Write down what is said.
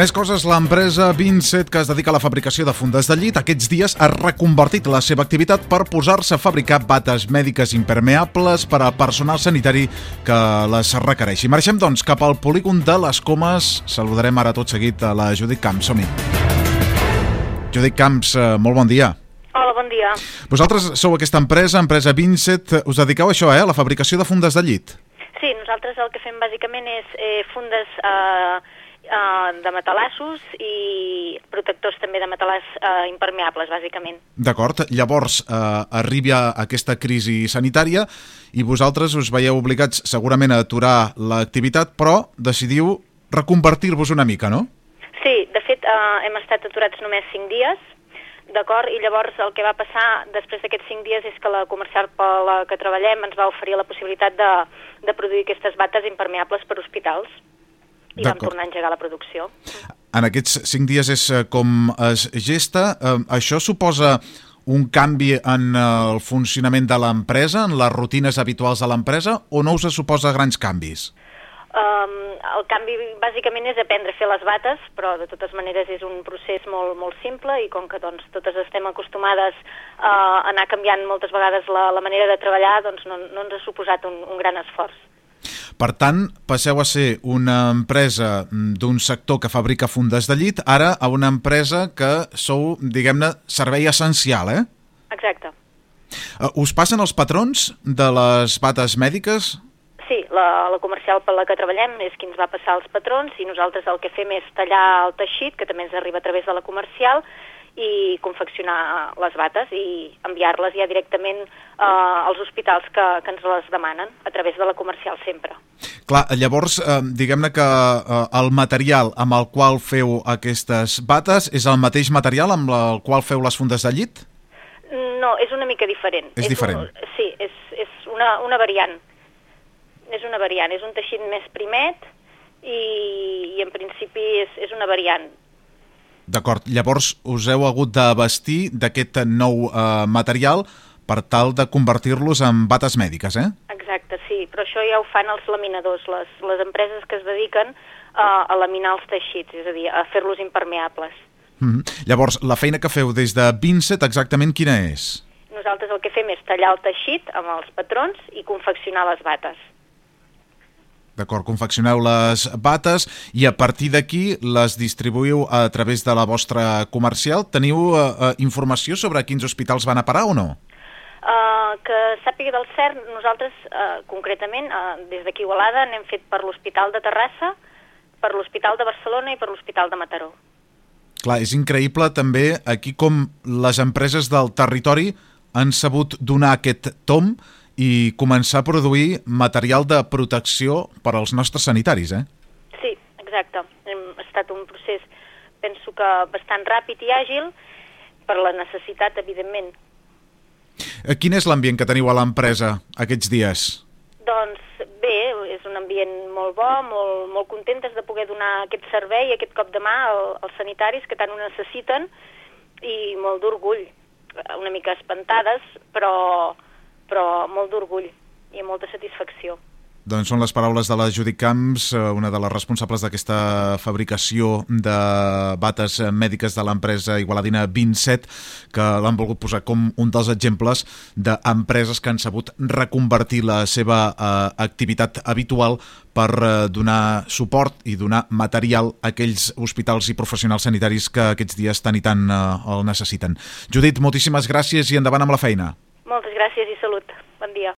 Més coses, l'empresa Vincent, que es dedica a la fabricació de fundes de llit, aquests dies ha reconvertit la seva activitat per posar-se a fabricar bates mèdiques impermeables per a personal sanitari que les requereixi. Marxem, doncs, cap al polígon de les Comes. Saludarem ara tot seguit a la Judit Camps. Som-hi. Judit Camps, molt bon dia. Hola, bon dia. Vosaltres sou aquesta empresa Vincent. Us dediqueu a això, a la fabricació de fundes de llit? Sí, nosaltres el que fem bàsicament és fundes de matalassos i protectors també de matalàs impermeables, bàsicament. D'acord. Llavors, arriba aquesta crisi sanitària i vosaltres us veieu obligats segurament a aturar l'activitat, però decidiu reconvertir-vos una mica, no? Sí, de fet, hem estat aturats només 5 dies, d'acord? I llavors el que va passar després d'aquests 5 dies és que la comercial per la que treballem ens va oferir la possibilitat de produir aquestes bates impermeables per hospitals. I vam tornar a engegar la producció. En aquests 5 dies és com es gesta. Això suposa un canvi en el funcionament de l'empresa, en les rutines habituals de l'empresa, o no us suposa grans canvis? El canvi bàsicament és aprendre a fer les bates, però de totes maneres és un procés molt, molt simple i com que doncs, totes estem acostumades a anar canviant moltes vegades la manera de treballar, doncs no ens ha suposat un gran esforç. Per tant, passeu a ser una empresa d'un sector que fabrica fundes de llit, ara a una empresa que sou, diguem-ne, servei essencial, eh? Exacte. Us passen els patrons de les bates mèdiques? Sí, la comercial per la que treballem és qui ens va passar els patrons i nosaltres el que fem és tallar el teixit, que també ens arriba a través de la comercial, i confeccionar les bates i enviar-les ja directament als hospitals que ens les demanen, a través de la comercial sempre. Clar, llavors, diguem-ne que el material amb el qual feu aquestes bates és el mateix material amb el qual feu les fundes de llit? No, és una mica diferent. És diferent? Sí, és una variant. És una variant, és un teixit més primet i en principi és una variant. D'acord, llavors us heu hagut de vestir d'aquest nou material per tal de convertir-los en bates mèdiques, eh? Exacte, sí, però això ja ho fan els laminadors, les empreses que es dediquen a laminar els teixits, és a dir, a fer-los impermeables. Llavors, la feina que feu des de Vincent exactament quina és? Nosaltres el que fem és tallar el teixit amb els patrons i confeccionar les bates. D'acord, confeccioneu les bates i a partir d'aquí les distribuïu a través de la vostra comercial. Teniu informació sobre quins hospitals van a parar o no? Que sàpiga del cert, nosaltres concretament des d'aquí a Igualada n'hem fet per l'Hospital de Terrassa, per l'Hospital de Barcelona i per l'Hospital de Mataró. Clar, és increïble també aquí com les empreses del territori han sabut donar aquest tomb i començar a produir material de protecció per als nostres sanitaris, eh? Sí, exacte. Ha estat un procés, penso que bastant ràpid i àgil, per la necessitat, evidentment. Quin és l'ambient que teniu a l'empresa aquests dies? Doncs bé, és un ambient molt bo, molt contentes de poder donar aquest servei, aquest cop de mà als sanitaris que tant ho necessiten i molt d'orgull. Una mica espantades, però molt d'orgull i molta satisfacció. Doncs són les paraules de la Judit Camps, una de les responsables d'aquesta fabricació de bates mèdiques de l'empresa igualadina Vincent, que l'han volgut posar com un dels exemples d'empreses que han sabut reconvertir la seva activitat habitual per donar suport i donar material a aquells hospitals i professionals sanitaris que aquests dies tant i tant el necessiten. Judit, moltíssimes gràcies i endavant amb la feina. Moltes gràcies i salut. Bon dia.